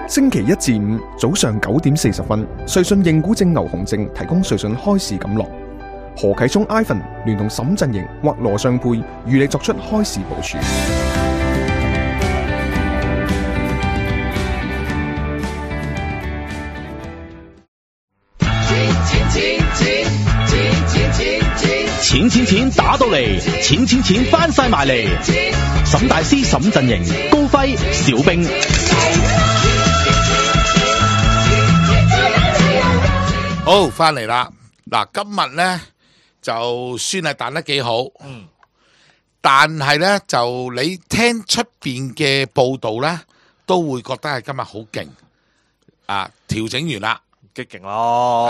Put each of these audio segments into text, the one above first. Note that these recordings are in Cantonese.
星期一至五早上9:40，瑞信認股證牛熊證提供瑞信開市錦囊。何啟聰 Ivan 聯同沈振盈或羅尚沛與你作出開市部署。錢打到嚟，錢翻晒埋嚟。沈大師、沈振盈、高輝、小冰，好翻嚟啦。嗱，今日咧就算係彈得幾好，但係咧就你聽出邊嘅報道咧，都會覺得係今日好勁啊！調整完啦。激勁咯，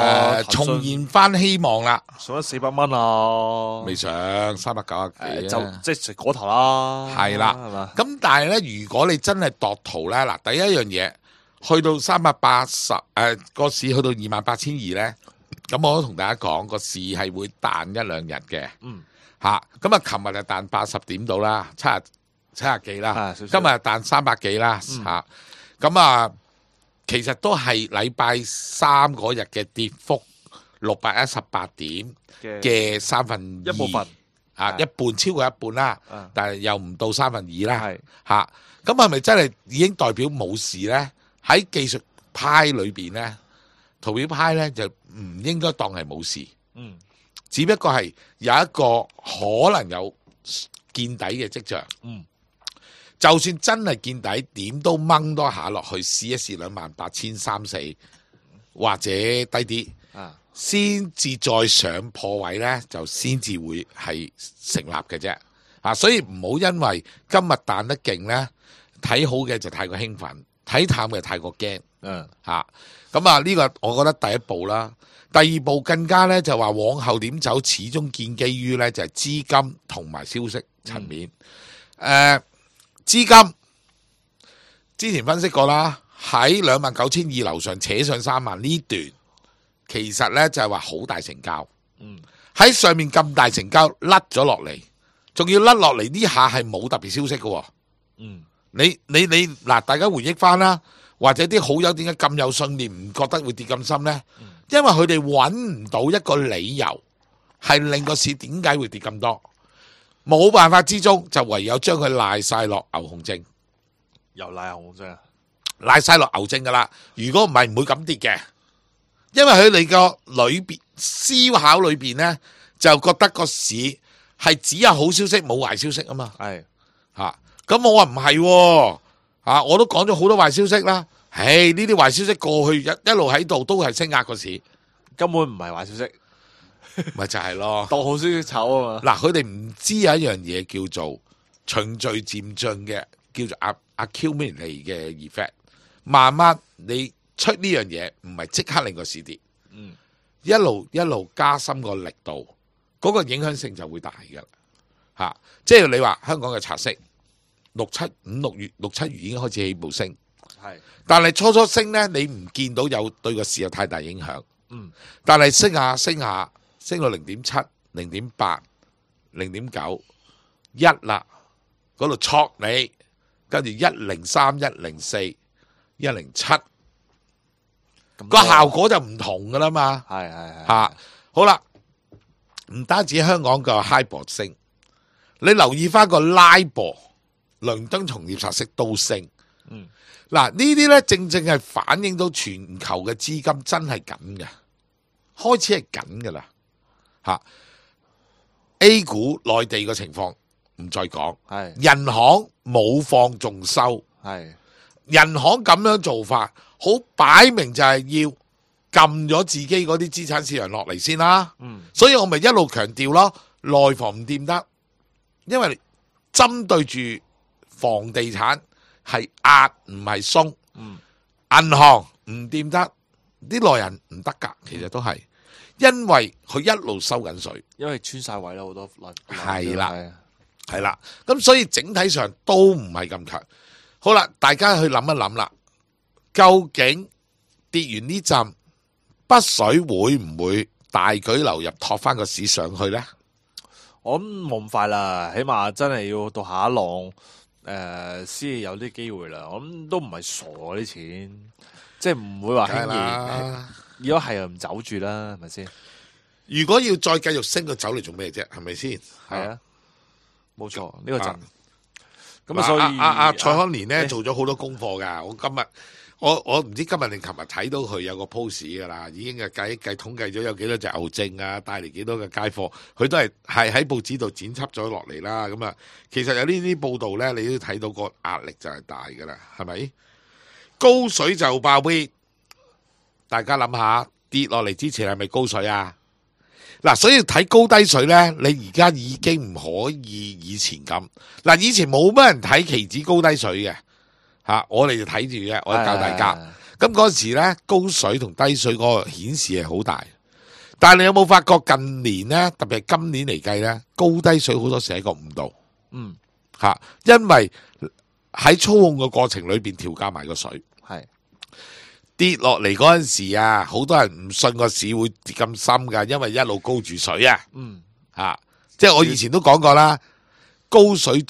重現翻希望啦，上咗400蚊啊，未上390幾就即係食嗰頭啦，係啦。咁但係咧，如果你真係度圖咧，嗱，第一樣嘢去到380，個市去到28,200咧，咁我都同大家講個市係會彈一兩日嘅，吓，咁啊，琴日就彈80點到啦，70幾啦，今日彈300幾啦，吓，咁啊。其實都係禮拜三嗰日嘅跌幅618點嘅1/3，一部分一半，超過一半啦，但係又唔到2/3啦，嚇，咁係咪真係已經代表冇事呢？喺技術派裏邊呢，圖表派呢就唔應該當係冇事，只不過係有一個可能有見底嘅跡象。就算真係見底，點都掹多下落去，試一試28,340或者低啲，先至再上破位呢，就先至會係成立嘅啫。所以唔好因為今日彈得勁呢，睇好嘅就太過興奮，睇淡嘅太過驚。咁啊，呢個我覺得第一步啦。第二步更加呢，就話往後點走，始終建基於呢，就係資金同埋消息層面。資金之前分析過啦，喺29,200樓上扯上3萬呢段，其實呢就係話好大成交。喺上面咁大成交甩咗落嚟，仲要甩落嚟呢下係冇特別消息嘅。你嗱，大家回憶翻啦，或者啲好友點解咁有信念，唔覺得會跌咁深呢？因為佢哋揾唔到一個理由係令個市點解會跌咁多。冇辦法之中，就唯有將佢賴晒落牛熊證，又賴牛熊證，賴晒落牛證噶啦。如果唔係，唔會咁跌嘅，因為佢哋個裏邊思考裏邊呢，就覺得個市係只有好消息冇壞消息啊嘛。係咁我話唔係，我都講咗好多壞消息啦。呢啲壞消息過去一路喺度，都係升壓個市，根本唔係壞消息。咪就係咯，當好消息炒啊嘛！嗱，佢哋唔知有一樣嘢叫做循序漸進嘅，叫做accumulate 嘅 effect。慢慢你出呢樣嘢，唔係即刻令個市跌，一路加深個力度，嗰個影響性就會大噶啦。即係你話香港嘅拆息6、7月已經開始起步升，但係初升呢，你唔見到有對個市有太大影響，但係升下。升到0.7、0.8、0.9、1啦，嗰度戳你，跟住103、104、107，個效果就唔同噶啦嘛。係好啦，唔單止香港個 HIBOR 升，你留意翻個 LIBOR，倫敦同業拆息都升。嗱，呢啲咧正係反映到全球嘅資金真係緊嘅，開始係緊噶啦。A 股內地嘅情況唔再講，人行冇放仲收，人行咁樣做法，好擺明就係要撳咗自己嗰啲資產市場落嚟先啦。所以我咪一路強調咯，內房唔掂得，因為針對住房地產係壓唔係鬆，銀行唔掂得，啲內人唔得噶，其實都係。因為佢一路收緊水，因為穿晒位啦，好多係啦，咁所以整體上都唔係咁強。好啦，大家去諗一諗啦，究竟跌完呢陣北水會唔會大舉流入托翻個市上去呢？我諗冇咁快啦，起碼真係要到下一浪，先有啲機會啦。我諗都唔係傻啲錢，即係唔會話輕易。如果係又唔走住啦，係咪先？如果要再繼續升，佢走嚟做咩啫？係咪先？係啊，冇錯，呢個陣。咁所以蔡康年咧做咗好多功課㗎。我今日我唔知今日定琴日睇到佢有個 post 㗎啦，已經計統計咗有幾多隻牛證啊，帶嚟幾多嘅街貨，佢都係喺報紙度剪輯咗落嚟啦。咁啊，其實有呢啲報道咧，你都睇到個壓力就係大㗎啦，係咪？高水就爆杯，大家諗下跌落嚟之前係咪高水啊？嗱，所以睇高低水咧，你而家已經唔可以以前咁。嗱，以前冇乜人睇期指高低水嘅，我哋就睇住嘅，我哋教大家。咁嗰時咧，高水同低水嗰個顯示係好大。但係你有冇發覺近年咧，特別係今年嚟計咧，高低水好多時係一個誤導。因為喺操控嘅過程裏邊調校埋個水。跌落嚟嗰陣時啊，好多人唔信個市會跌咁深噶，因為一路高住水啊。即係我以前都講過啦，高水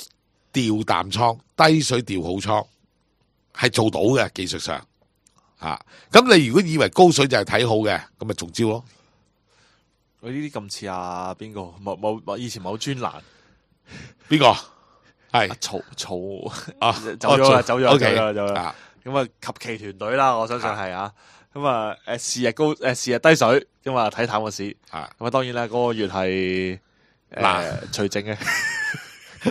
調淡倉，低水調好倉，係做到嘅技術上。咁你如果以為高水就係睇好嘅，咁咪中招咯。我呢啲咁似邊個？冇以前冇專欄，邊個？係曹走咗啦。咁啊，及其團隊啦，我相信係啊。咁啊，是日低水，咁啊睇淡個市。咁啊，當然啦，嗰個月係除淨嘅，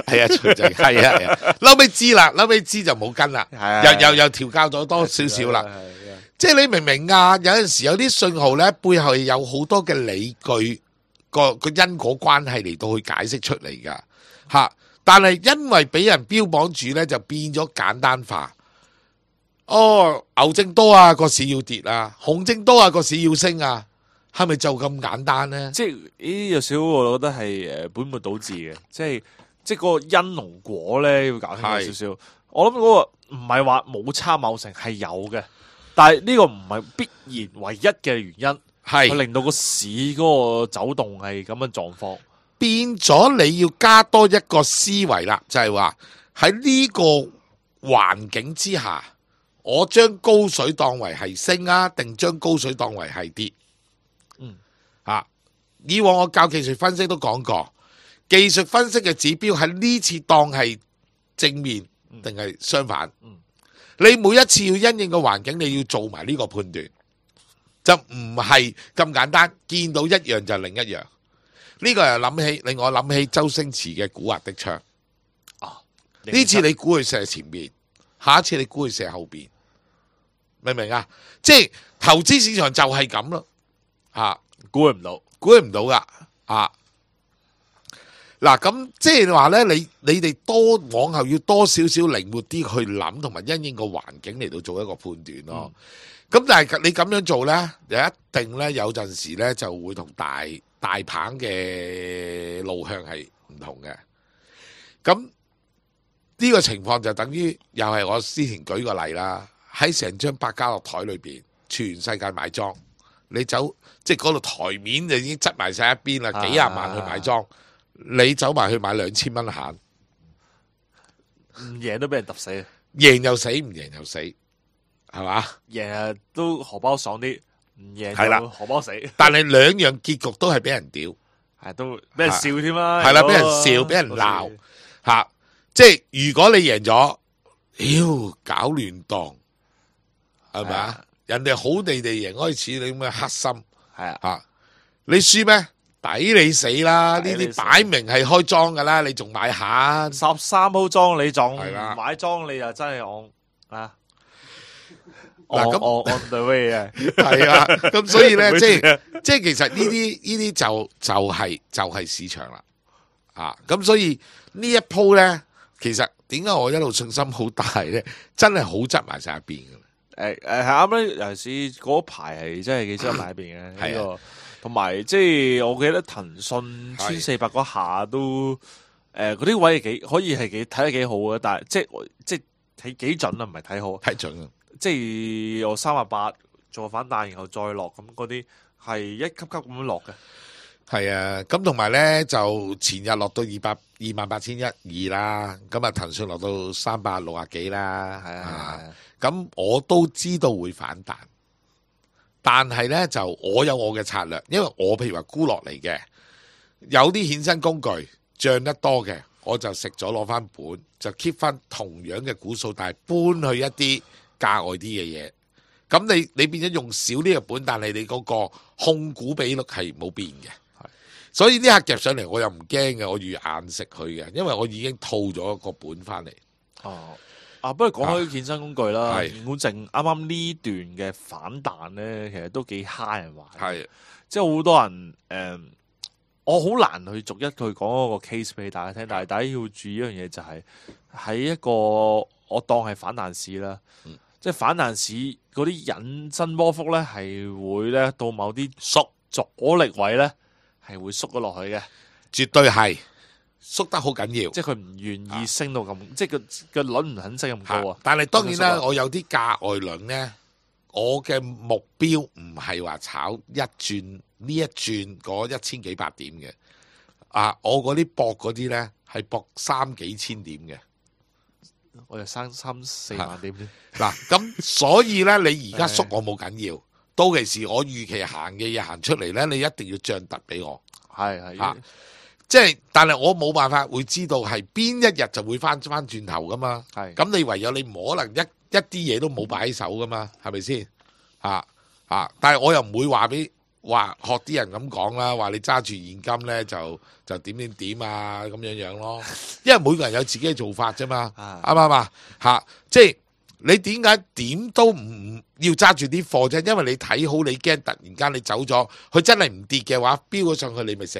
係啊，除淨係啊。嬲尾知就冇跟啦，又調校咗多少少啦。即係你明唔明啊？有陣時有啲信號咧，背後有好多嘅理據，個因果關係嚟到去解釋出嚟噶。但係因為俾人標榜住咧，就變咗簡單化。牛證多啊，個市要跌啊；熊證多啊，個市要升啊，係咪就咁簡單呢？即係呢有少，我覺得係本末倒置嘅，即係嗰個因同果咧要搞清楚少少。我諗嗰個唔係話冇參考性，係有嘅，但係呢個唔係必然唯一嘅原因，係令到個市嗰個走動係咁嘅狀況，變咗你要加多一個思維啦，就係話喺呢個環境之下。我將高水當為係升啊，定將高水當為係跌？以往我教技術分析都講過，技術分析嘅指標喺呢次當係正面定係相反？你每一次要因應個環境，你要做埋呢個判斷，就唔係咁簡單。見到一樣就另一樣。呢個又令我諗起周星馳嘅古惑的槍。呢次你估佢射前面，下一次你估佢射後邊。明唔明啊？即係投資市場就係咁咯，估唔到噶，嗱咁即係話咧，你哋往後要多少少靈活啲去諗，同埋因應個環境嚟到做一個判斷咯。咁但係你咁樣做咧，就一定咧有陣時咧就會同大棒嘅路向係唔同嘅。咁呢個情況就等於又係我之前舉個例啦。喺成張百家樂台裏邊，全世界買莊，你走即係嗰度台面就已經執埋晒一邊啦，幾廿萬去買莊，你走埋去買2000蚊閒，唔贏都俾人揼死，贏又死，唔贏又死，係嘛？贏都荷包爽啲，唔贏係啦，荷包死。但係兩樣結局都係俾人屌，係都俾人笑添啦，係啦，俾人笑，俾人鬧，即係如果你贏咗，搞亂檔。係咪啊？人哋好地贏開始，你咁嘅黑心係你輸咩？抵你死啦！呢啲擺明係開莊噶啦，你仲買下13鋪莊你仲買莊，你就真係on the way 啊！係啊，咁所以咧，即係其實呢啲就係市場啦。咁所以呢一鋪咧，其實點解我一路信心好大咧？真係好執埋晒一邊噶。係啱咧，尤其是嗰排係真係幾執埋一邊嘅呢個，同埋即係我記得騰訊1400嗰下都嗰啲位可以係睇得幾好嘅，但係即係睇幾準啊，唔係睇好，睇準啊！即係我380做反彈，然後再落咁嗰啲係一級級咁樣落嘅。係啊，咁同埋咧就前日落到28,120啦，咁啊騰訊落到360幾啦，係啊，咁我都知道會反彈，但係咧就我有我嘅策略，因為我譬如話沽落嚟嘅，有啲衍生工具漲得多嘅，我就食咗攞翻本，就 keep 翻同樣嘅股數，但係搬去一啲價外啲嘅嘢。咁你變咗用少啲嘅本，但係你嗰個控股比率係冇變嘅。所以呢下夾上嚟，我又唔驚嘅，我預硬食佢嘅，因為我已經套咗個本翻嚟。哦，不過講開衍生工具啦，係現股證啱啱呢段嘅反彈咧，其實都幾蝦人玩。係，即係好多人我好難去逐一去講嗰個 case 俾大家聽，但係大家要注意一樣嘢就係喺一個我當係反彈市啦，即係反彈市嗰啲引伸波幅咧係會咧到某啲阻力位咧係會縮咗落去嘅，絕對係縮得好緊要。即係佢唔願意升到咁，即係個輪唔肯升咁高啊。但係當然啦，我有啲價外輪咧，我嘅目標唔係話炒一轉呢一轉嗰1000幾百點嘅，我嗰啲搏嗰啲咧係搏3幾千點嘅，我就3、4萬點添。嗱，咁所以咧，你而家縮我冇緊要，到其時我預期行嘅嘢行出嚟咧，你一定要漲突俾我，係即係，但係我冇辦法會知道係邊一日就會翻轉頭噶嘛，咁你唯有你唔可能一啲嘢都冇擺喺手噶嘛，係咪先？但係我又唔會話學啲人咁講啦，話你揸住現金咧就點啊咁樣咯，因為每個人有自己嘅做法啫嘛，啱唔啱啊？即係你點解點都唔要揸住啲貨啫？因為你睇好，你驚突然間你走咗，佢真係唔跌嘅話，飆咗上去你咪死，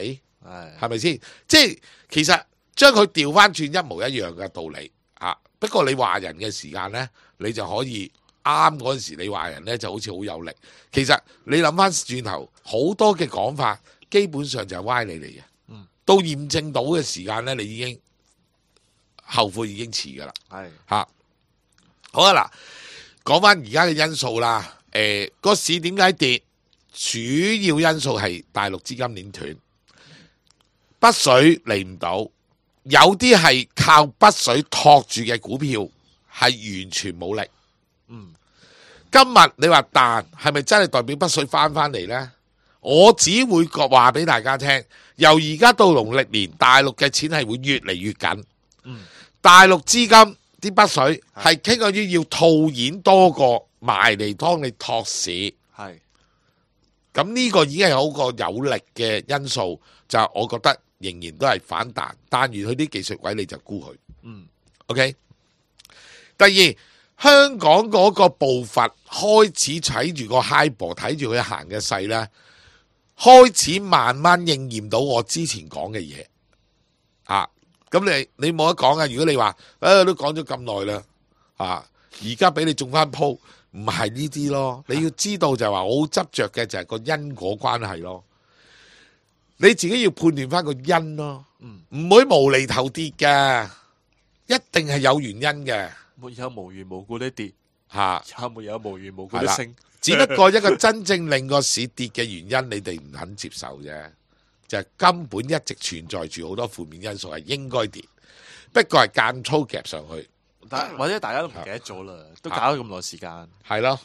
係咪先？即係其實將佢調翻轉一模一樣嘅道理不過你話人嘅時間咧，你就可以。啱嗰陣時，你話人咧就好似好有力。其實你諗翻轉頭，好多嘅講法基本上就係歪理嚟嘅。到驗證到嘅時間咧，你已經後悔已經遲噶啦。好啊嗱，講翻而家嘅因素啦。個市點解跌？主要因素係大陸資金鏈斷，北水嚟唔到，有啲係靠北水托住嘅股票係完全冇力。今日你話彈係咪真係代表北水翻嚟呢？我只會話俾大家聽，由而家到農曆年，大陸嘅錢係會越嚟越緊。大陸資金啲北水係傾向於要套現多過埋嚟幫你托市。咁呢個已經係好個有力嘅因素，就我覺得仍然都係反彈，彈完佢啲技術位你就沽佢。OK。第二。香港嗰個步伐開始睇住個 high 波，睇住佢行嘅勢咧，開始慢慢應驗到我之前講嘅嘢。咁你冇得講啊！如果你話都講咗咁耐啦，而家俾你中翻鋪，唔係呢啲咯。你要知道就係話我好執着嘅就係個因果關係咯。你自己要判斷翻個因咯，唔會無厘頭跌嘅，一定係有原因嘅。沒有無緣無故的跌，也沒有無緣無故的升。只不過一個真正令個市跌嘅原因，你哋唔肯接受啫，就係根本一直存在住好多負面因素係應該跌，不過係間粗夾上去，或者大家都唔記得咗啦，都搞咗咁耐時間。係咯，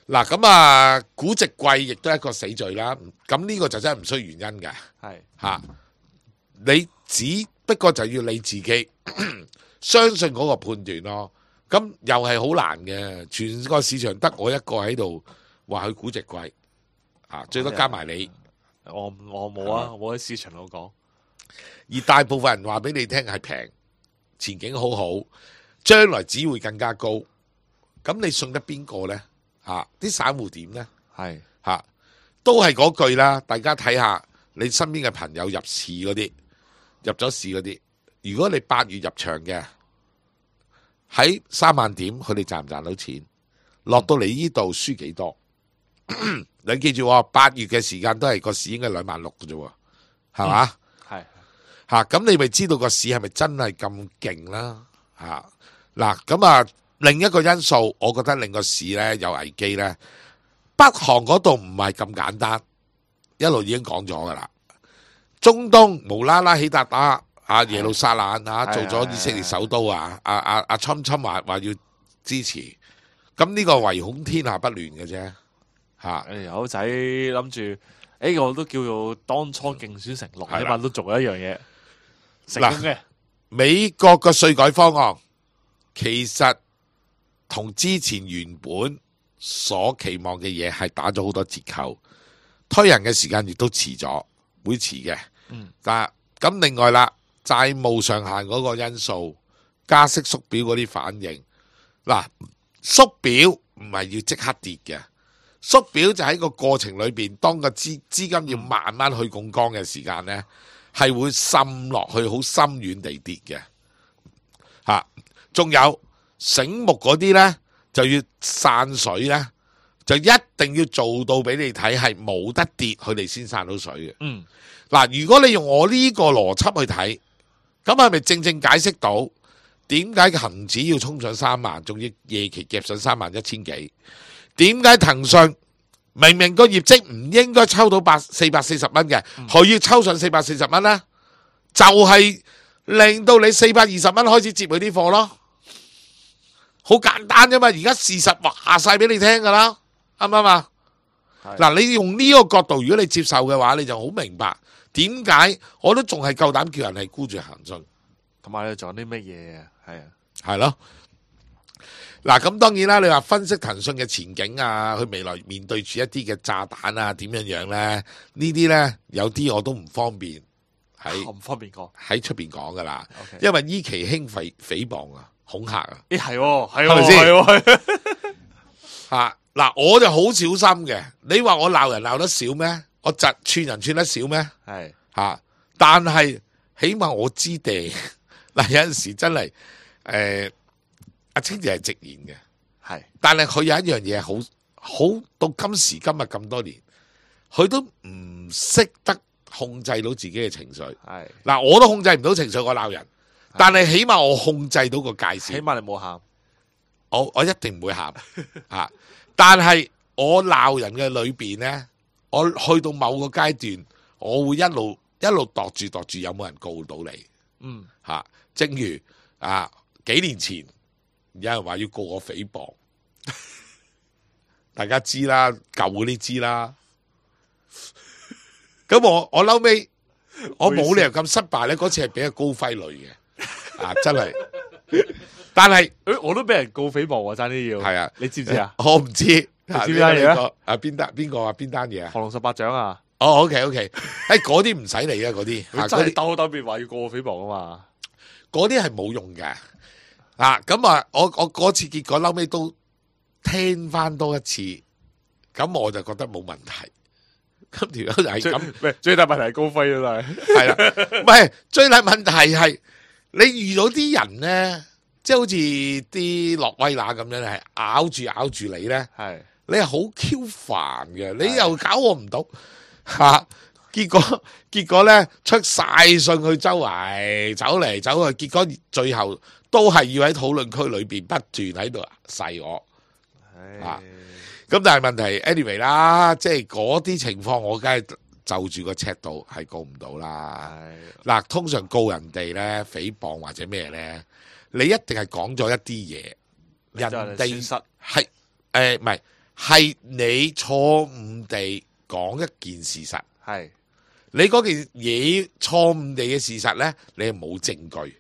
嗱咁估值貴亦都係一個死罪啦。咁呢個就真係唔需要原因嘅，你只不過就要你自己相信嗰個判斷咯。咁又係好難嘅，全個市場得我一個喺度話佢估值貴，最多加埋你。我冇啊，我喺市場度講。而大部分人話俾你聽係平，前景好好，將來只會更加高。咁你信得邊個呢？啲散戶點呢？都係嗰句啦。大家睇下你身邊嘅朋友入市嗰啲，入咗市嗰啲，如果你8月入場嘅。喺3萬點，佢哋賺唔賺到錢？落到嚟呢度輸幾多？你記住，8月嘅時間都係個市應該26000嘅啫，係嘛？咁你咪知道個市係咪真係咁勁啦？嗱，咁另一個因素，我覺得令個市咧有危機咧。北韓嗰度唔係咁簡單，一路已經講咗噶啦。中東無啦啦起笪打耶路撒冷做咗以色列首都侵話要支持，咁呢個唯恐天下不亂嘅啫嚇。友仔諗住，我都叫做當初競選承諾，起碼都做咗一樣嘢成功嘅。美國嘅稅改方案其實同之前原本所期望嘅嘢係打咗好多折扣，推人嘅時間亦都遲咗，會遲嘅。但咁另外啦，債務上限嗰個因素、加息縮表嗰啲反應，嗱縮表唔係要即刻跌嘅，縮表就喺個過程裏邊，當個資金要慢慢去槓桿嘅時間呢，係會滲落去好深遠地跌嘅嚇。仲有醒目嗰啲呢，就要散水呢，就一定要做到俾你睇係冇得跌，佢哋先散到水嘅。嗱，如果你用我呢個邏輯去睇，咁係咪正正解釋到點解恒指要衝上3萬，仲要夜期夾上31000幾？點解騰訊明明個業績唔應該抽到440蚊嘅，佢要抽上440蚊呢？就係令到你420蚊開始接佢啲貨咯，好簡單啫嘛！而家事實話晒俾你聽噶啦，啱唔啱啊？嗱，你用呢個角度，如果你接受嘅話，你就好明白點解我都仲係夠膽叫人係沽住騰訊，同埋你仲有啲乜嘢啊？係咯。嗱，咁當然啦，你話分析騰訊嘅前景啊，佢未來面對住一啲嘅炸彈啊，點樣樣咧？呢啲咧有啲我都唔方便喺出邊講噶啦，因為依期興誹謗啊、恐嚇啊，係咪先？嗱，我就好小心嘅。你話我鬧人鬧得少咩？我串人串得少咩？但係起碼我知地嗱，有陣時真係阿清姐係直言嘅，但係佢有一樣嘢好到今時今日咁多年，佢都唔識得控制到自己嘅情緒。嗱，我都控制唔到情緒，我鬧人，但係起碼我控制到個界線。起碼你冇喊，我一定唔會喊但係我鬧人嘅裏邊呢，我去到某個階段，我會一路度住有冇人告到你。正如幾年前有人話要告我誹謗，大家知啦，舊嗰啲知啦。咁我嬲尾，我冇理由咁失敗呢。嗰次係俾阿高輝累嘅，真係。但係我都俾人告誹謗，爭啲要。係啊，你知唔知啊？我唔知。你知單嘢啊？邊單嘢啊？降龍十八掌啊！OK，嗰啲唔使理啊，嗰啲佢真係兜面話要告我誹謗啊嘛，嗰啲係冇用嘅。咁我嗰次結果嬲尾都聽翻多一次，咁我就覺得冇問題。咁條友就係咁，最大問題係高飛啊，係啦，唔係最大問題係你遇到啲人咧，即係好似啲洛威拿咁樣，係咬住你咧，你係好 Q 煩嘅，你又搞我唔到結果咧出晒信去周圍走嚟走去，結果最後都係要喺討論區裏邊不斷喺度噬我。咁但係問題 anyway 啦，即係嗰啲情況，我梗係就住個尺度係告唔到啦。嗱，通常告人哋咧誹謗或者咩咧，你一定係講咗一啲嘢，人哋係唔係你錯誤地講一件事實，你嗰件嘢錯誤地嘅事實咧，你係冇證據。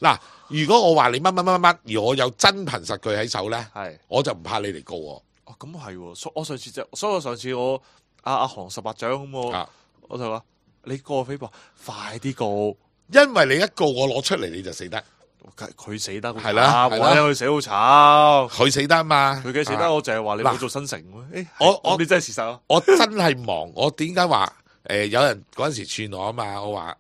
嗱，如果我話你乜乜乜乜，而我有真憑實據喺手咧，我就唔怕你嚟告我。咁係，所以我上次我阿降十八掌咁，我就話你告誹謗，快啲告，因為你一告我攞出嚟你就死得，佢死得係啦，我睇佢死好慘，佢死得嘛，佢嘅死得，我淨係話你冇做新城，你真係事實啊！我真係忙，我點解話有人嗰陣時串我啊嘛？我話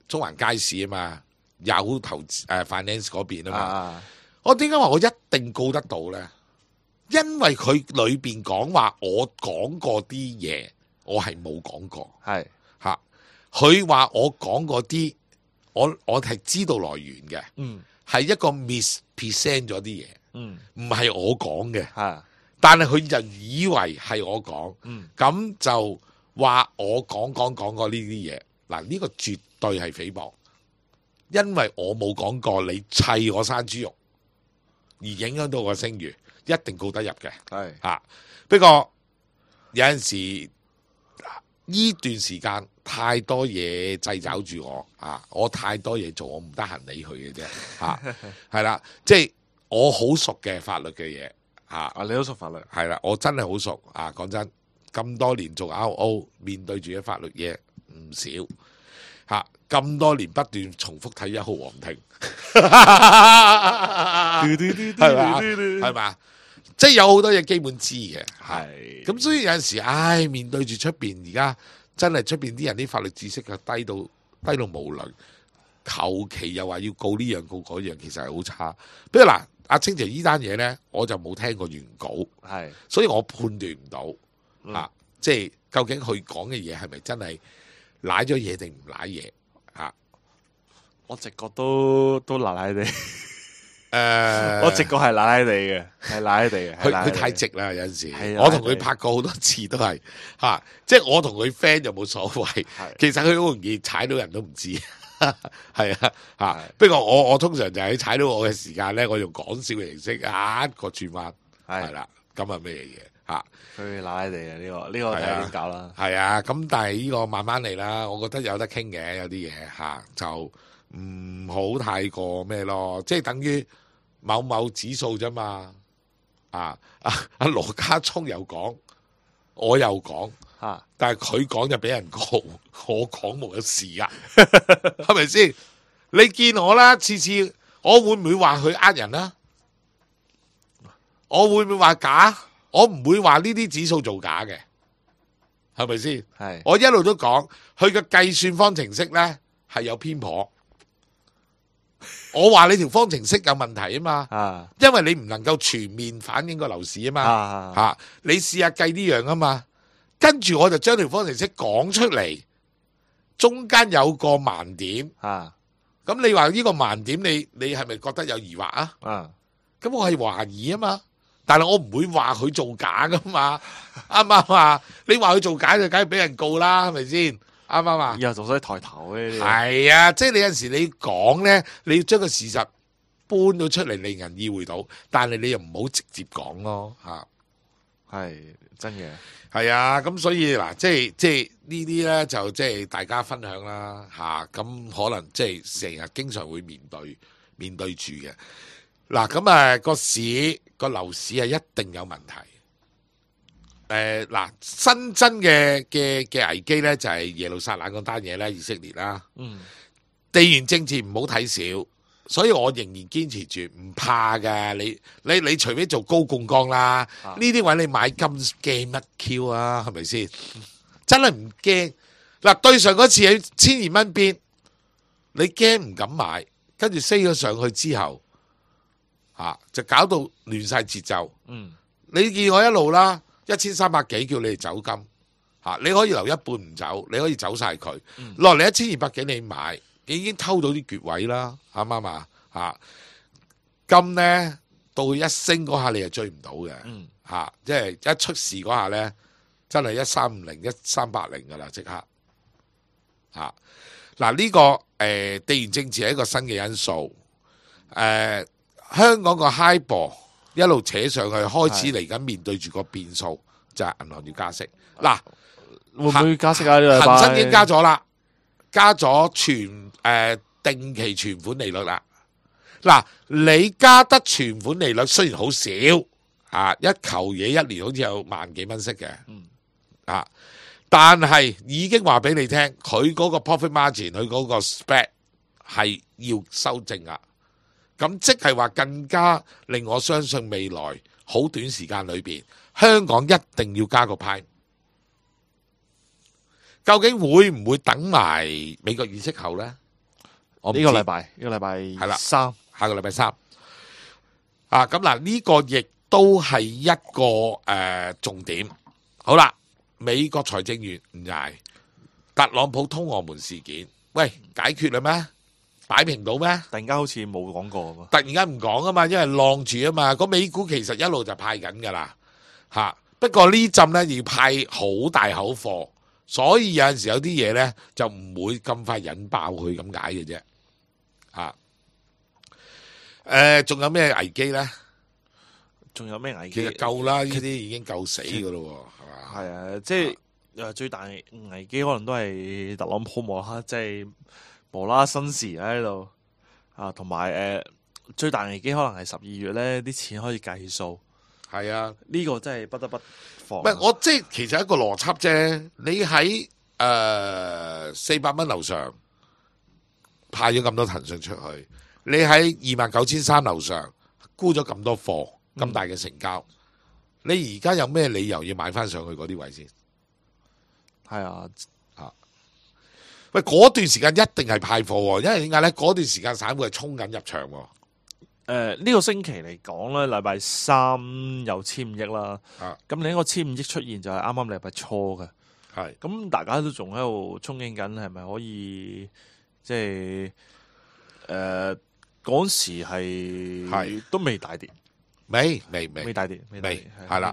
中環街市啊嘛，有投資finance 嗰邊啊嘛，我點解話我一定告得到咧？因為佢裏邊講話我講過啲嘢，我係冇講過，佢話我講過啲，我係知道來源嘅，係一個 mispresent 咗啲嘢，唔係我講嘅，但係佢就以為係我講，咁就話我講過呢啲嘢，嗱呢個絕對係誹謗，因為我冇講過你砌我生豬肉而影響到我聲譽，一定告得入嘅。係啊，不過有陣時呢段時間太多嘢掣肘住我啊，我太多嘢做，我唔得閒理佢嘅啫。係啦，即係我好熟嘅法律嘅嘢。你都熟法律？係啦，我真係好熟啊！講真，咁多年做 RO， 面對住嘅法律嘢唔少咁多年不斷重複睇1號皇庭，係嘛？即係有好多嘢基本知嘅，係咁，所以有陣時，面對住出邊而家真係出邊啲人啲法律知識就低到無倫，求其又話要告呢樣告嗰樣，其實係好差。不如嗱。阿清姐呢單嘢咧，我就冇聽過原稿，所以我判斷唔到即係究竟佢講嘅嘢係咪真係舐咗嘢定唔舐嘢我直覺都舐舐地，我直覺係舐舐地嘅，係舐舐地嘅。佢太直啦，有陣時我同佢拍過好多次都係即係我同佢 friend 就冇所謂，其實佢好容易踩到人都唔知。係不過我通常就喺踩到我嘅時間咧，我用講笑嘅形式一個轉彎，係啦，咁係咩嘢佢賴地啊！呢個睇下點搞啦。係咁但係呢個慢慢嚟啦，我覺得有得傾嘅，有啲嘢就唔好太過咩咯，即係等於某某指數啫嘛。阿羅家聰又講，我又講。但係佢講就俾人告，我講冇有事啊，係咪先？你見我啦，次次我會唔會話佢呃人啊？我會唔會話假？我唔會話呢啲指數做假嘅，係咪先？係我一路都講，佢嘅計算方程式咧係有偏頗。我話你條方程式有問題啊嘛，因為你唔能夠全面反映個樓市啊嘛，你試下計呢樣啊嘛。跟住我就將條方程式講出嚟，中間有個盲點，咁你話呢個盲點，你係咪覺得有疑惑啊？咁我係懷疑啊嘛，但係我唔會話佢做假噶嘛，啱唔啱啊？你話佢做假就梗係俾人告啦，係咪先？啱唔啱啊？以後仲使抬頭嘅？係啊，即係你有陣時你講咧，你要將個事實搬到出嚟，令人意會到，但係你又唔好直接講咯，係真嘅。係啊，咁所以嗱，即係呢啲咧就即係大家分享啦，咁可能即係成日經常會面對住嘅。嗱，咁個樓市係一定有問題。嗱，新增嘅危機咧就係耶路撒冷嗰單嘢咧，以色列啦，地緣政治唔好睇少。所以我仍然堅持住唔怕㗎，你除非做高槓桿啦，呢啲位你買金驚乜 Q 啊？係咪先？真係唔驚。嗱，對上嗰次喺1200蚊邊，你驚唔敢買，跟住升咗上去之後，就搞到亂晒節奏。你見我一路啦，1300幾叫你哋走金，你可以留一半唔走，你可以走晒佢，落嚟1200幾你買。已經偷到啲穴位啦，啱唔啱啊？金咧到佢一升嗰下，你係追唔到嘅，即係一出事嗰下咧，真係1350、1380噶啦，即刻嗱呢個地緣政治係一個新嘅因素，香港個 HIBOR 一路扯上去，開始嚟緊面對住個變數，就係銀行要加息。嗱，會唔會加息啊？呢個恒生已經加咗啦。加咗定期存款利率啦，嗱，你加得存款利率雖然好少，一球嘢一年好似有萬幾蚊息嘅，但係已經話俾你聽，佢嗰個 profit margin， 佢嗰個 spread 係要修正啊，咁即係話更加令我相信未來好短時間裏邊，香港一定要加個派。究竟會唔會等埋美國議息後咧？呢個禮拜係啦，下個禮拜三咁嗱，呢個亦都係一個重點。好啦，美國財政員唔捱，特朗普通俄門事件，喂，解決啦咩？擺平到咩？突然間好似冇講過，突然間唔講啊嘛，因為晾住啊嘛。個美股其實一路就派緊噶啦，不過呢陣咧要派好大口貨。所以有陣時有啲嘢咧就唔會咁快引爆佢咁解嘅啫。仲有咩危機咧？仲有咩危機？其實夠啦，呢啲已經夠死噶咯，係嘛？係啊，即係最大危機可能都係特朗普即係無啦啦新時喺度啊，同埋最大危機可能係12月咧啲錢可以計數。係啊，呢個真係不得不防。唔係我即係其實一個邏輯啫。你喺400蚊樓上派咗咁多騰訊出去，你喺29,300樓上沽咗咁多貨，咁大嘅成交，你而家有咩理由要買翻上去嗰啲位先？係啊，喂，嗰段時間一定係派貨，因為點解咧？嗰段時間散戶係衝緊入場。呢個星期嚟講咧，禮拜3有1,500億啦。咁另一個1,500億出現就係啱啱禮拜初嘅。係咁大家都仲喺度憧憬緊，係咪可以即係嗰時係都未大跌，未大跌，係啦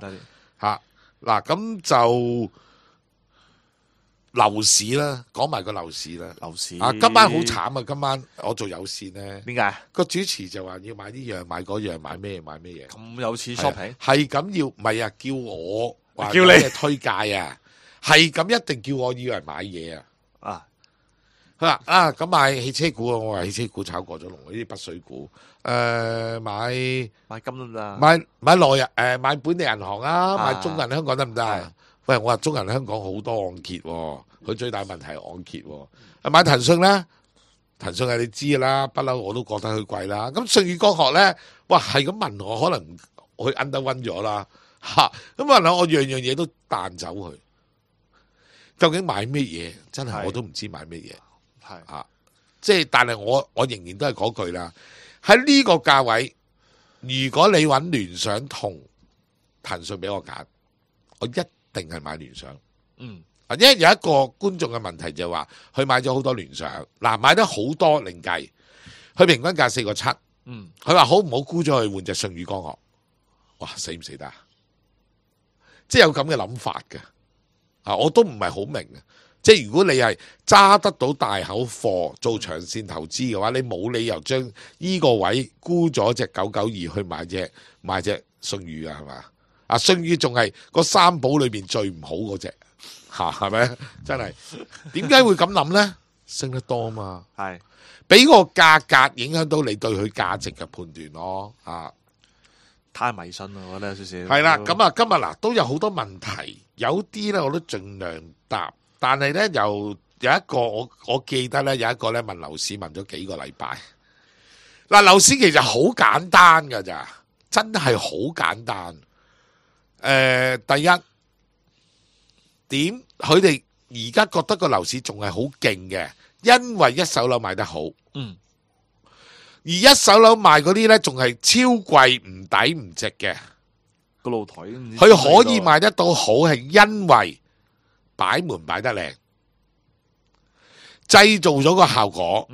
嚇嗱，咁就樓市啦，講埋個樓市啦。樓市今晚好慘啊！今晚我做有線咧，點解個主持就話要買呢樣買嗰樣，買咩嘢？咁有錢 shopping 係咁要，唔係啊？叫我話叫你推介啊，係咁一定叫我以為買嘢啊！佢話咁買汽車股啊，我話汽車股炒過咗龍，呢啲北水股，買金得唔得？買內買本地銀行啊，買中銀香港得唔得啊？喂，我話中銀香港好多按揭，佢最大問題係按揭。買騰訊咧，騰訊係你知噶啦，不嬲我都覺得佢貴啦。咁舜宇光學咧，哇係咁問我，可能佢 underwin 咗啦嚇。咁問我樣樣嘢都彈走佢，究竟買咩嘢？真係我都唔知買咩嘢。即係，但係我仍然都係嗰句啦。喺呢個價位，如果你揾聯想同騰訊俾我揀，我一定係買聯想。因為有一個觀眾嘅問題就係話，佢買咗好多聯想，買得好多另計，佢平均價4個7。佢話好唔好沽咗去換隻舜宇光學？哇，死唔死得？即係有咁嘅諗法嘅。我都唔係好明。即係如果你係揸得到大口貨做長線投資嘅話，你冇理由將呢個位沽咗隻992去買隻舜宇啊，係嘛？舜宇仲係個三寶裏邊最唔好嗰隻，係咪？真係點解會咁諗呢？升得多嘛，係俾個價格影響到你對佢價值嘅判斷咯。太迷信啦，我覺得有少少。係啦，咁今日都有好多問題，有啲咧我都盡量答。但係咧，有一個我記得咧，有一個咧問樓市問咗幾個禮拜。樓市其實好簡單噶咋，真係好簡單。第一點，佢哋而家覺得個樓市仲係好勁嘅，因為一手樓賣得好。而一手樓賣嗰啲咧，仲係超貴唔抵唔值嘅個露台。佢可以賣得到好，係因為擺門擺得靚，製造咗個效果。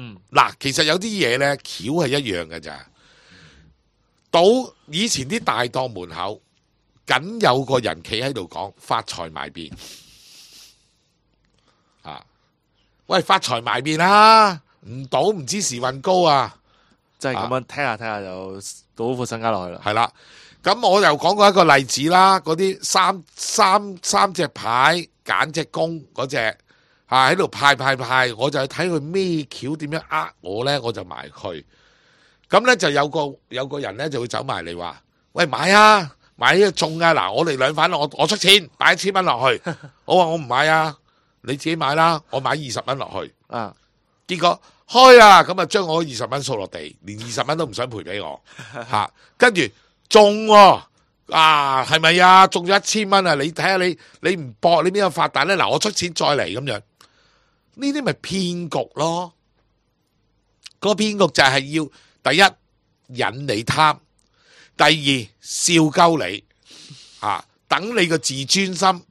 其實有啲嘢咧，橋係一樣嘅咋。到以前啲大檔門口，僅有個人企喺度講發財埋便。喂，發財埋便啦，唔賭唔知時運高啊！即係咁樣聽下就賭副身家落去啦。係啦，咁我又講過一個例子啦，嗰啲三隻牌。揀隻公嗰隻喺度派，我就去睇佢咩橋點樣呃我咧，我就埋佢。咁咧就有個人咧就會走埋嚟話：喂，買啊，買呢個中啊！嗱，我哋兩份，我出錢擺1,000蚊落去。我話我唔買啊，你自己買啦，我買20蚊落去。結果開啦，咁啊將我20蚊掃落地，連20蚊都唔想賠俾我。跟住中喎。係咪啊？中咗1,000蚊啊！你睇下你唔搏，你邊有發達咧？嗱，我出錢再嚟咁樣，呢啲咪騙局咯？個騙局就係要第一引你貪，第二笑鳩你，等你個自尊心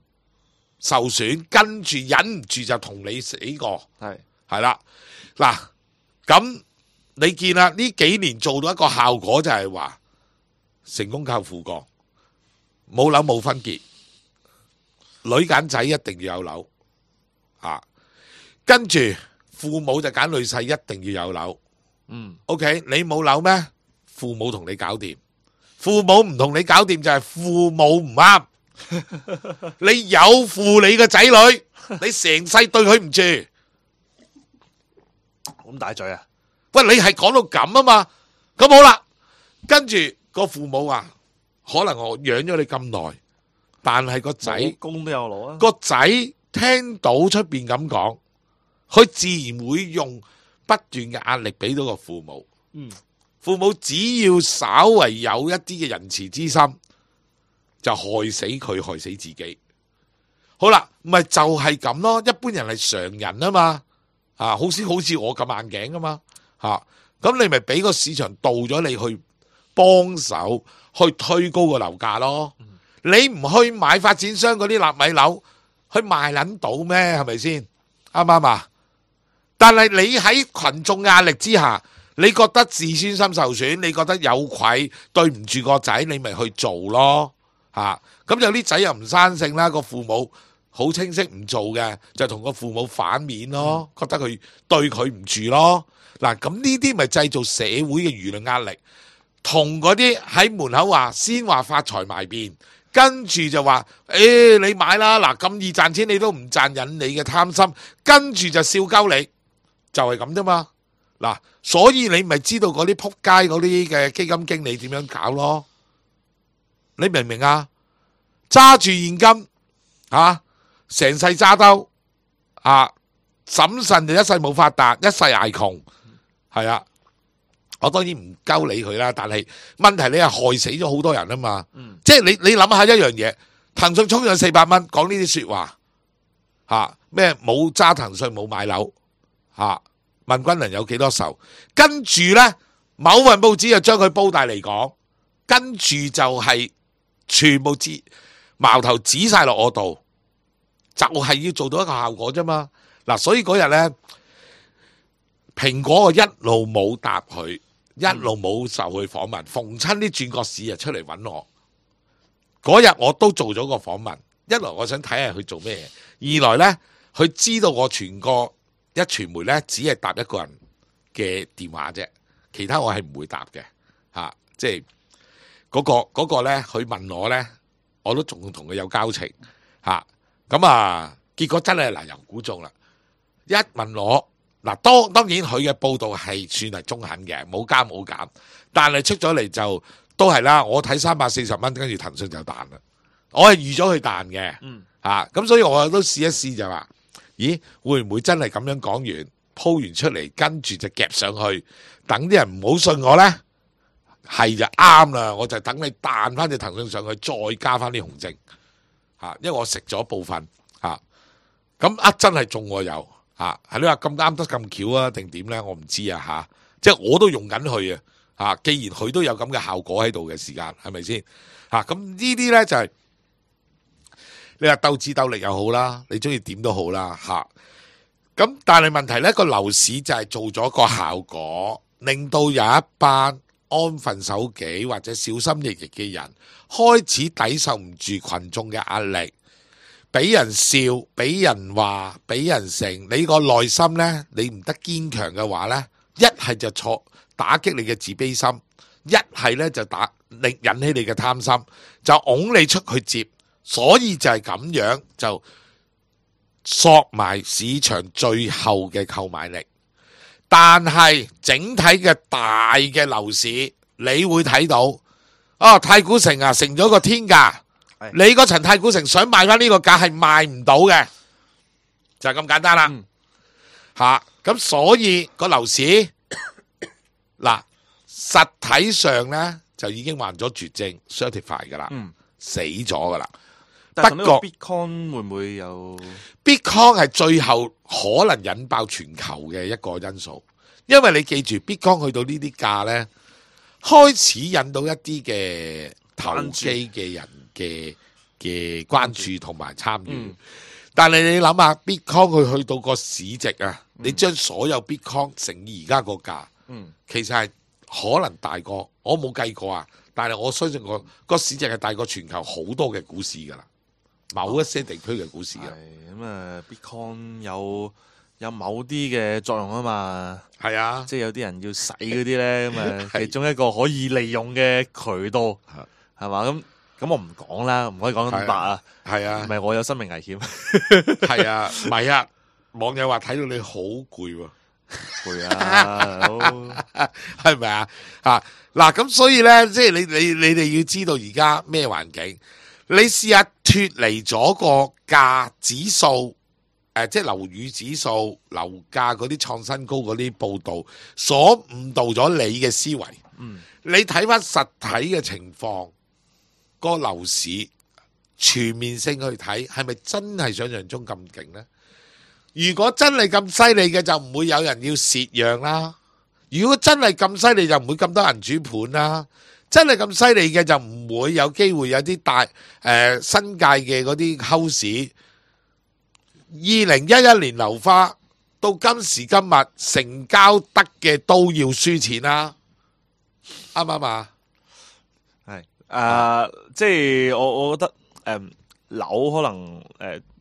受損，跟住忍唔住就同你死過，係啦。嗱，咁你見啦，呢幾年做到一個效果就係話成功靠父幹。冇樓冇分結，女揀仔一定要有樓，啊。跟住父母就揀女婿，一定要有樓。OK， 你冇樓咩？父母同你搞掂。父母唔同你搞掂就係父母唔啱。你有負你個仔女，你成世對佢唔住。咁大嘴啊！喂，你係講到咁啊嘛？咁好啦，跟住個父母話，可能我養咗你咁耐，但係個仔工都有攞啊。個仔聽到出邊咁講，佢自然會用不斷嘅壓力俾到個父母。父母只要稍為有一啲嘅仁慈之心，就害死佢，害死自己。好啦，咪就係咁咯。一般人係常人啊嘛，好似我咁硬頸噶嘛，咁你咪俾個市場導咗你去幫手去推高個樓價咯。你唔去買發展商嗰啲納米樓，去賣撚到咩？係咪先？啱唔啱啊？但係你喺群眾壓力之下，你覺得自尊心受損，你覺得有愧，對唔住個仔，你咪去做咯。咁有啲仔又唔生性啦，個父母好清晰唔做嘅，就同個父母反面咯，覺得佢對佢唔住咯。嗱，咁呢啲咪製造社會嘅輿論壓力，同嗰啲喺門口話先話發財埋邊，跟住就話你買啦，嗱咁易賺錢你都唔賺，引你嘅貪心，跟住就笑鳩你，就係咁啫嘛。嗱，所以你咪知道嗰啲撲街嗰啲嘅基金經理點樣搞咯？你明唔明啊？揸住現金成世揸兜審慎就一世冇發達，一世捱窮，係啊。我當然唔鳩理佢啦，但係問題你係害死咗好多人啊嘛。即係你諗下一樣嘢，騰訊衝上400蚊，講呢啲說話咩冇揸騰訊冇買樓問軍人有幾多仇？跟住呢，某份報紙就將佢煲大嚟講，跟住就係全部矛頭指晒落我度，就係要做到一個效果啫嘛。嗱，所以嗰日呢，蘋果我一路冇答佢，一路冇受佢訪問，逢親啲轉角市就出嚟揾我。嗰日我都做咗個訪問，一來我想睇下佢做咩嘢，二來呢，佢知道我全個一傳媒呢，只係答一個人嘅電話啫，其他我係唔會答嘅即係嗰個呢，佢問我呢，我都仲同佢有交情咁結果真係嗱由估中啦。一問我嗱，當然佢嘅報道係算係中肯嘅，冇加冇減，但係出咗嚟就都係啦。我睇340蚊，跟住騰訊就彈啦。我係預咗佢彈嘅，咁所以我都試一試就話，咦會唔會真係咁樣講完鋪完出嚟，跟住就夾上去，等啲人唔好信我呢？係就啱啦，我就等你彈翻隻騰訊上去，再加翻啲紅證因為我食咗部分咁真係中我有係你話咁啱得咁巧啊定點呢？我唔知即係我都用緊佢既然佢都有咁嘅效果喺度嘅時間，係咪先咁呢啲呢，就係你話鬥智鬥力又好啦，你中意點都好啦咁但係問題呢，個樓市就係做咗個效果，令到有一班安分守己或者小心翼翼嘅人開始抵受唔住群眾嘅壓力，俾人笑，俾人話，俾人成，你個內心呢，你唔得堅強嘅話呢，一係就打擊你嘅自卑心，一係呢就引起你嘅貪心，就拱你出去接，所以就係咁樣就索埋市場最後嘅購買力。但係整體嘅大嘅樓市，你會睇到太古城成咗個天價，你嗰層太古城想賣翻呢個價係賣唔到嘅，就係咁簡單啦。咁所以個樓市嗱實體上呢，就已經患咗絕症 certify 噶啦，死咗噶啦。但係呢個 Bitcoin 會唔會有 Bitcoin 係最後可能引爆全球嘅一個因素，因為你記住 Bitcoin 去到呢啲價呢，開始引到一啲嘅投機嘅人嘅關注同埋參與。但係你諗下 Bitcoin 佢去到個市值你將所有 Bitcoin 乘以而家個價，其實係可能大過，我冇計過但係我相信個市值係大過全球好多嘅股市噶啦。某一些地區嘅股市嘅。咁啊，Bitcoin 有某啲嘅作用啊嘛。係啊，即係有啲人要洗嗰啲咧，咁啊，其中一個可以利用嘅渠道係嘛？咁我唔講啦，唔可以講咁白啊。係啊，唔係我有生命危險。係啊，唔係啊，網友話睇到你好攰喎。攰啊，係咪啊？嗱，咁所以咧，即係你哋要知道而家咩環境，你試下脫離咗個價指數，即係樓宇指數、樓價嗰啲創新高嗰啲報道，所誤導咗你嘅思維。你睇翻實體嘅情況，個樓市全面性去睇，係咪真係想象中咁勁呢？如果真係咁犀利嘅，就唔會有人要蝕讓啦。如果真係咁犀利，就唔會咁多人主盤啦。真係咁犀利嘅，就唔會有機會有啲大新界嘅嗰啲 house。2011年樓花到今時今日成交得嘅都要輸錢啦，啱唔啱啊？係即係我覺得樓可能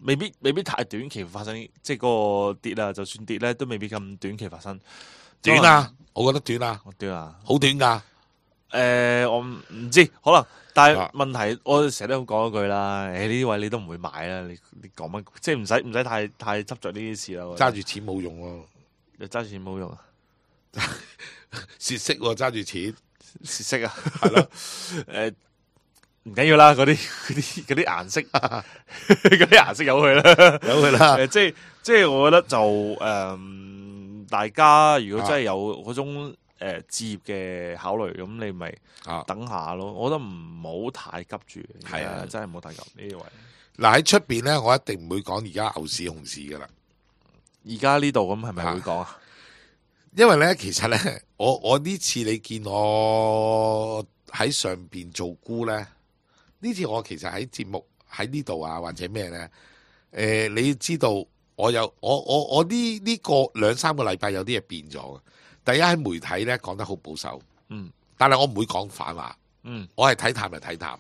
未必太短期發生，即係個跌啊，就算跌咧都未必咁短期發生。短啊，我覺得短啊，短啊，好短噶。我唔知，可能，但係問題，我成日都咁講一句啦。呢啲位你都唔會買啦，你講乜？即係唔使太執着呢啲事啦。揸住錢冇用喎，你揸住錢冇用啊，蝕息喎，揸住錢蝕息啊，係咯，唔緊要啦，嗰啲顏色，嗰啲顏色由佢啦，由佢啦。即係我覺得就大家如果真係有嗰種置業嘅考慮，咁你咪等下咯。我覺得唔好太急住，係啊，真係唔好太急呢啲位。嗱喺出邊咧，我一定唔會講而家牛市熊市噶啦。而家呢度咁係咪會講啊？因為咧，其實咧，我呢次你見我喺上邊做估咧。呢次我其實喺節目喺呢度啊，或者咩咧？你要知道我呢個2-3個禮拜有啲嘢變咗嘅。第一喺媒體咧講得好保守，但係我唔會講反話，我係睇淡就睇淡，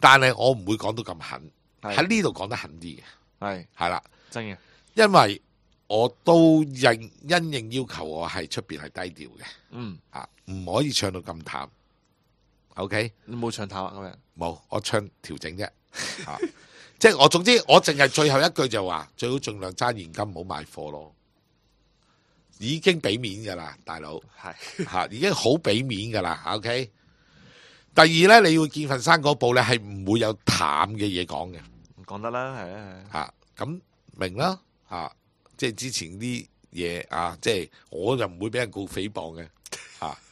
但係我唔會講到咁狠，喺呢度講得狠啲嘅，係啦，真嘅，因為我都因應要求，我係出邊係低調嘅，唔可以唱到咁淡。OK， 你冇唱淡啊咁樣？冇，我唱調整啫。即係我總之我淨係最後一句就話，最好盡量揸現金，唔好買貨咯。已經俾面噶啦，大佬係已經好俾面噶啦。OK， 第二咧，你要見份生果報咧，係唔會有淡嘅嘢講嘅，講得啦，係啊，咁明啦，即係之前啲嘢即係我就唔會俾人告誹謗嘅，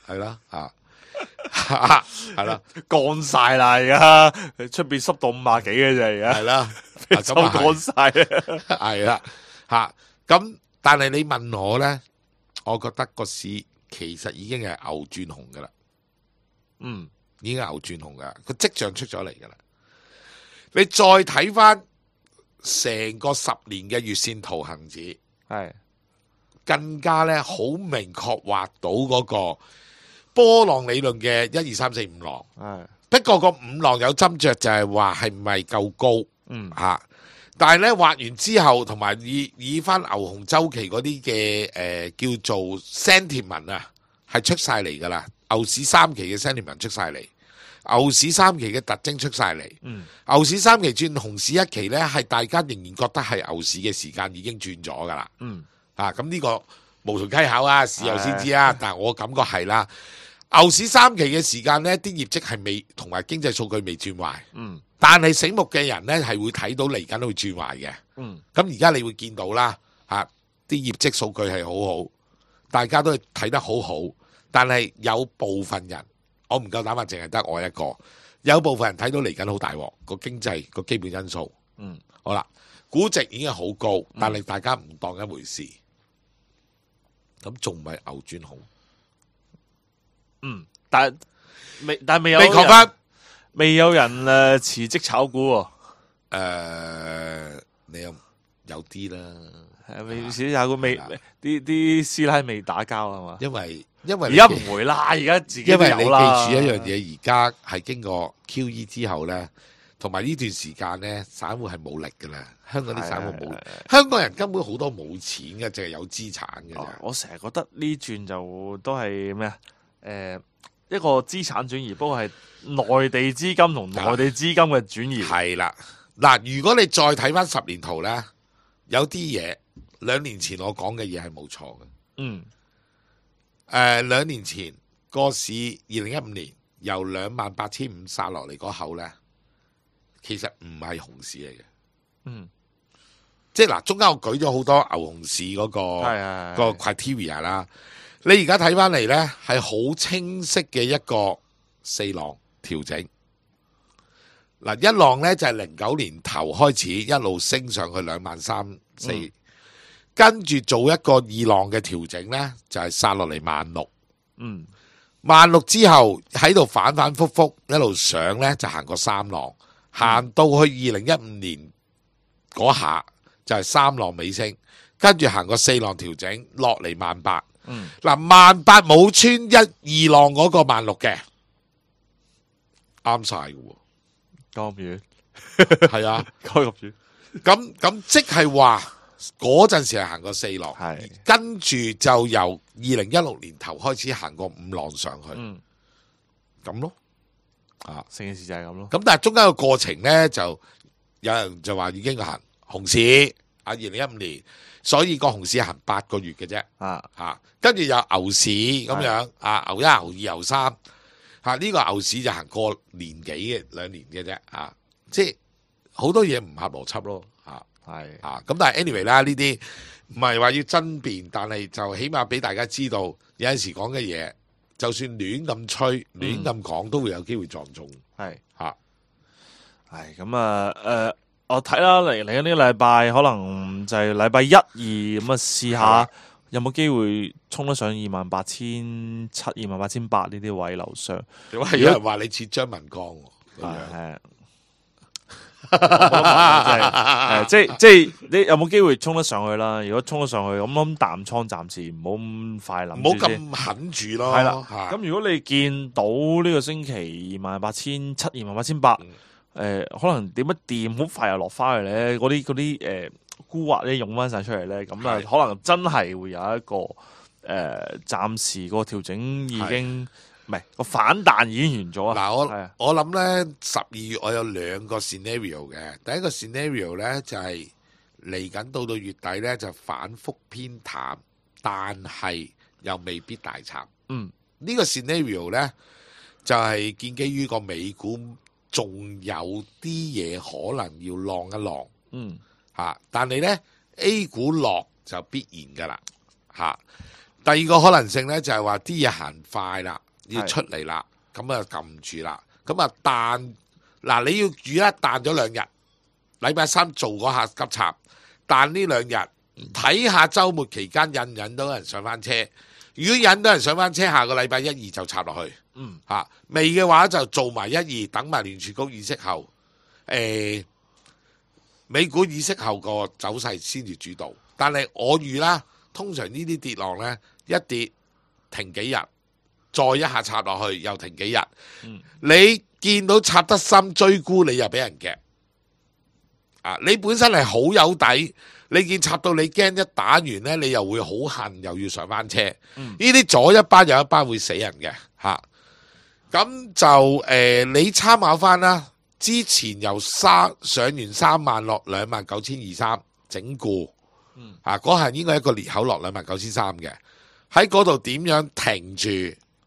係啦，係啦，乾晒啦而家，出邊濕到50幾嘅啫而家，係啦，就乾晒啦，係啦，咁但係你問我咧，我覺得個市其實已經係牛轉紅噶啦，已經係牛轉紅噶，個跡象出咗嚟噶啦。你再睇翻成個10年嘅月線圖恒指，係更加咧好明確畫到嗰個波浪理論嘅1、2、3、4、5浪，不過個5浪有斟酌，就係話係咪夠高，但係咧畫完之後，同埋以翻牛熊周期嗰啲嘅叫做 sentiment 啊，係出晒嚟噶啦，牛市3期嘅 sentiment 出晒嚟，牛市3期嘅特徵出晒嚟，牛市3期轉熊市1期咧，係大家仍然覺得係牛市嘅時間已經轉咗噶啦，咁呢個無從稽考啊，事後先知啊，但係我感覺係啦。牛市3期嘅時間呢，啲業績係未同埋經濟數據未轉壞，但係醒目嘅人呢，係會睇到嚟緊會轉壞嘅。咁而家你會見到啦，啲業績數據係好好，大家都係睇得好好，但係有部分人，我唔夠膽話淨係得我一個，有部分人睇到嚟緊好大鑊個經濟個基本因素。好啦，估值已經好高，但係大家唔當一回事，咁仲唔係牛轉紅？但係未有你講翻，未有人辭職炒股喎。你有啲啦，未辭職炒股，未啲師奶未打交係嘛？因為而家唔會啦，而家自己都有啦。因為你記住一樣嘢，而家係經過 QE 之後咧，同埋呢段時間咧，散戶係冇力噶啦。香港啲散戶冇，香港人根本好多冇錢嘅，淨係有資產嘅啫。我成日覺得呢轉就都係咩啊？一個資產轉移，不過係內地資金同內地資金嘅轉移。係啦，嗱，如果你再睇翻10年圖咧，有啲嘢2年前我講嘅嘢係冇錯嘅。嗯。2年前個市2015年由28,500殺落嚟嗰口咧，其實唔係熊市嚟嘅。嗯。即係嗱，中間我舉咗好多牛熊市嗰個 criteria 啦。你而家睇翻嚟呢，係好清晰嘅一個4浪調整。嗱，一浪呢就係09年頭開始一路升上去23,400，跟住做一個2浪嘅調整呢，就係殺落嚟16,000。嗯，16,000之後喺度反反复复一路上呢，就行過3浪，行到去2015年嗰下就係3浪尾聲，跟住行過4浪調整落嚟18,000。嗱，18,000冇穿1、2浪嗰個16,000嘅，啱晒嘅喎。咁遠係啊，咁遠。咁即係話嗰陣時係行過4浪，係跟住就由2016年頭開始行過5浪上去，咁咯。啊，成件事就係咁咯。咁但係中間個過程咧，就有人就話已經行熊市啊，2015年。所以個熊市行8個月嘅啫，跟住有牛市咁樣，牛1、牛2、牛3，呢個牛市就行過年幾嘅2年嘅啫，即係好多嘢唔合邏輯咯，咁但係 anyway 啦，呢啲唔係話要爭辯，但係就起碼俾大家知道，有陣時講嘅嘢，就算亂咁吹、亂咁講，都會有機會撞中，咁我睇啦，嚟緊呢個禮拜可能就係禮拜1、2咁啊，試下有冇機會衝得上28,700、28,800呢啲位樓上。有人話你似張文光喎，即係你有冇機會衝得上去啦？如果衝得上去，咁諗淡倉暫時唔好咁快諗，唔好咁狠住咯。係啦，咁如果你見到呢個星期28,700、28,800。可能點一掂好快又落翻去咧，嗰啲沽壓咧湧翻晒出嚟咧，咁啊可能真係會有一個暫時個調整已經唔係個反彈已經完咗啊！嗱，我諗咧12月我有2個 scenario 嘅，第一個 scenario 咧就係嚟緊到月底咧就反覆偏淡，但係又未必大慘。呢個 scenario 咧就係建基於個美股。仲有啲嘢可能要浪一浪，但係呢 A 股落就必然噶啦，第二個可能性呢，就係話啲嘢行快啦，要出嚟啦，咁啊撳住啦，咁啊彈，嗱你要預一彈咗2日，禮拜3做嗰下急插，彈呢2日，睇下週末期間引到人上翻車，如果引到人上翻車，下個禮拜1、2就插落去。未嘅話就做埋1、2，等埋聯儲局議息後，美股議息後個走勢先至主導。但係我預啦，通常呢啲跌浪呢，一跌停幾日，再一下插落去又停幾日。你見到插得深追沽，你又俾人夾。你本身係好有底，你見插到你驚一打完呢，你又會好恨，又要上翻車。呢啲左一班右一班會死人嘅嚇。咁就你參考翻啦，之前由上完3萬落29,230整固，嗰下應該一個裂口落29,300嘅，喺嗰度點樣停住，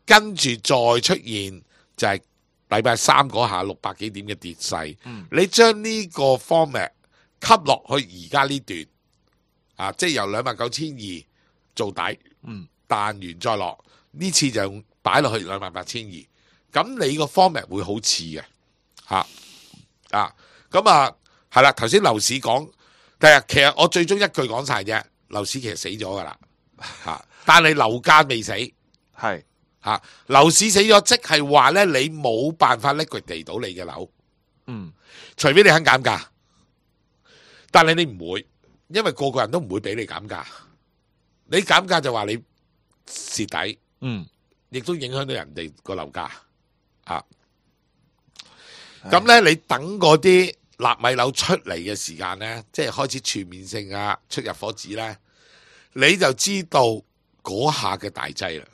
跟住再出現就係禮拜3嗰下600幾點嘅跌勢，你將呢個 format 吸落去而家呢段，即係由29,200做底，彈完再落，呢次就擺落去28,200。咁你個 format 會好似嘅，咁係啦。頭先樓市講，其實我最終一句講晒啫，樓市其實死咗噶啦，但係樓價未死，係樓市死咗，即係話咧你冇辦法 liquidate 到你嘅樓，除非你肯減價，但係你唔會，因為個個人都唔會俾你減價，你減價就話你蝕底，亦都影響到人哋個樓價。咁咧，你等嗰啲納米樓出嚟嘅時間咧，即係開始全面性啊出入伙紙咧，你就知道嗰下嘅大劑啦。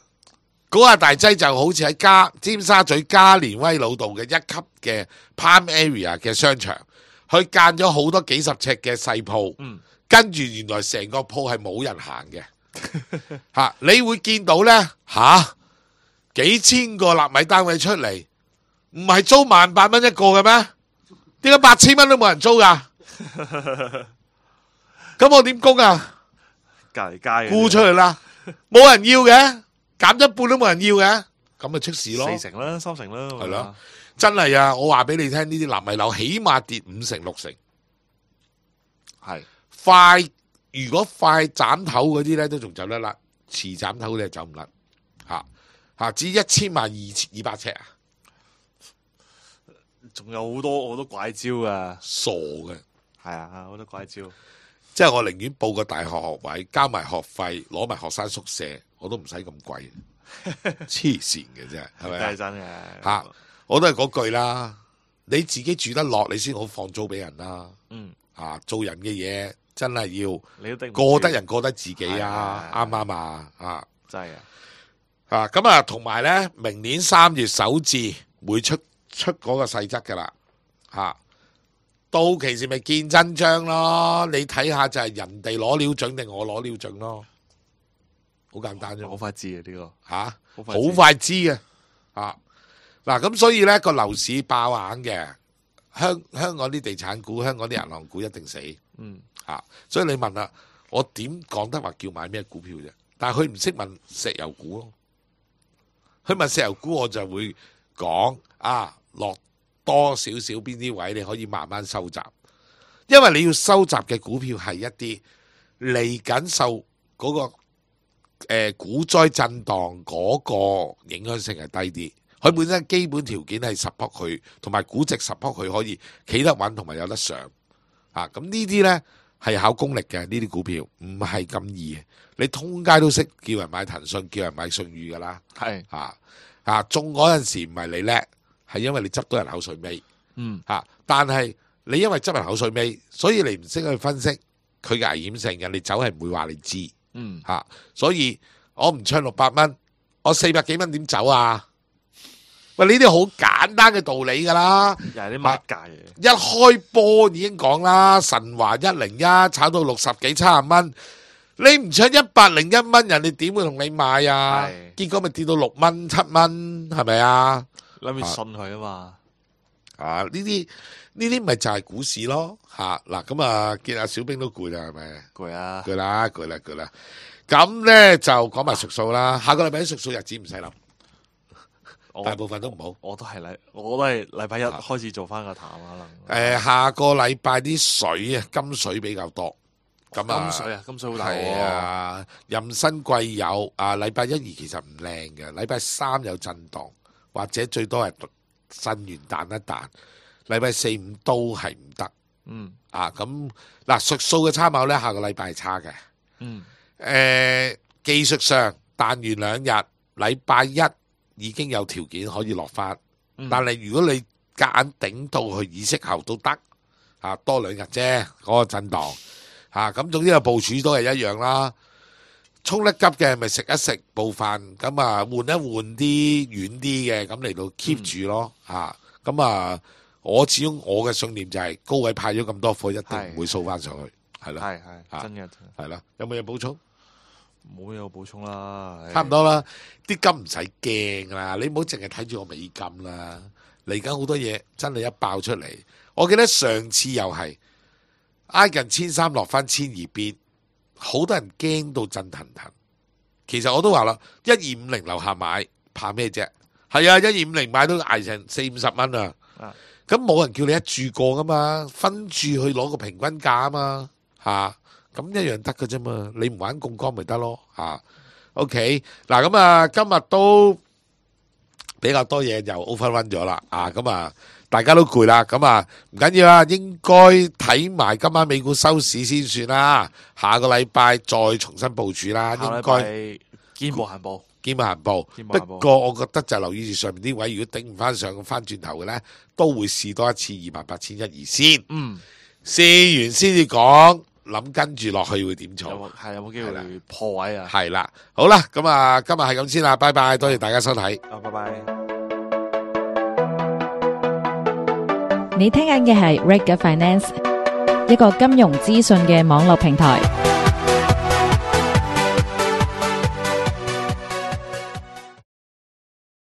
嗰下大劑就好似喺尖沙咀加連威老道嘅一級嘅 Prime Area 嘅商場，佢間咗好多幾十尺嘅細鋪，跟住原來成個鋪係冇人行嘅。吓，你會見到咧幾千個納米單位出嚟，唔係租18,000蚊一個嘅咩？點解8000蚊都冇人租噶？咁我點供啊？隔離街沽出去啦，冇人要嘅，減一半都冇人要嘅，咁咪出事咯。 4成啦，3成啦，係咯，真係啊！我話俾你聽，呢啲納米樓起碼跌5成6成，係快。如果快斬頭嗰啲咧，都仲走得甩；遲斬頭嗰啲走唔甩。至於1000萬200尺啊，仲有好多怪招噶，傻嘅。係啊，好多怪招。即係我寧願報個大學學位，交埋學費，攞埋學生宿舍，我都唔使咁貴。黐線嘅啫，係咪？係真嘅。我都係嗰句啦，你自己住得落，你先好放租俾人啦。做人嘅嘢。真係要過得人過得自己啊，啱唔啱啊？真係咁啊，同埋咧，明年3月首置會出嗰個細則噶啦，到期時咪見真章咯。你睇下就係人哋攞料準定我攞料準咯，好簡單啫。好快知啊呢個好快知嘅嗱，咁所以咧個樓市爆硬嘅，香港啲地產股、香港啲銀行股一定死。所以你問啦，我點講得話叫買咩股票啫？但係佢唔識問石油股咯。佢問石油股，我就會講落多少少邊啲位你可以慢慢收集，因為你要收集嘅股票係一啲嚟緊受嗰個股災震盪嗰個影響性係低啲。佢本身基本條件係 support 佢，同埋估值 support 佢可以企得穩同埋有得上。咁呢啲呢。係考功力嘅，呢啲股票唔係咁易。你通街都識叫人買騰訊，叫人買信譽噶啦。係中嗰陣時唔係你叻，係因為你執到人口水尾。但係你因為執人口水尾，所以你唔識去分析佢嘅危險性嘅，你走係唔會話你知。所以我唔唱600蚊，我400幾蚊點走啊？喂，呢啲好簡單嘅道理噶啦，又係啲乜價嘢？一開波已經講啦，神華101炒到60幾70蚊，你唔唱101蚊，人哋點會同你買啊？結果咪跌到6蚊7蚊，係咪啊？諗住信佢啊嘛。呢啲咪就係股市咯。嗱咁啊，見阿小兵都攰啦，係咪？攰啊！攰啦。咁咧就講埋術數啦。下個禮拜啲術數日子唔使諗。大部分都唔好，我都係禮拜一開始做翻個淡可能。下個禮拜啲水啊，金水比較多。咁金水好大。係啊，任新貴有禮拜1、2其實唔靚嘅，禮拜3有震盪，或者最多係震完彈一彈。禮拜4、5都係唔得。咁嗱，術數嘅參考咧，下個禮拜係差嘅。技術上彈完2日，禮拜1已經有條件可以落翻，但係如果你夾硬頂到去議息後都得，多2日啫，嗰個震盪咁總之個部署都係一樣啦。衝得急嘅咪食一食部分，咁換一換啲遠啲嘅，咁嚟到 keep 住咯。我始終我嘅信念就係高位派咗咁多貨，一定唔會掃翻上去，係啦，係真嘅，係啦。有冇嘢補充？冇嘢補充啦，差唔多啦。啲金唔使驚啦，你唔好淨係睇住個美金啦。嚟緊好多嘢真係一爆出嚟。我記得上次又係挨近1300落翻1200邊，好多人驚到震騰騰。其實我都話啦，1250樓下買怕咩啫？係啊，1250買都挨成40-50蚊啊。咁冇人叫你一注過噶嘛，分注去攞個平均價啊嘛，咁一樣得㗎啫嘛，你唔玩槓桿咪得咯。OK， 嗱咁今日都比較多嘢又 overrun 咗啦，大家都攰啦，唔緊要啦，應該睇埋今晚美股收市先算啦，下個禮拜再重新部署啦，應該見步行步，見步行步。不過我覺得就留意住上面啲位，如果頂唔翻上翻轉頭嘅咧，都會試多一次28,812先。試完先至講，諗跟住落去會點做？有冇機會破位啊？係啦，好啦，咁啊，今日係咁先啦，拜拜，多謝大家收睇。拜拜。你聽緊嘅係 Reg Finance，一個金融資訊嘅網絡平台。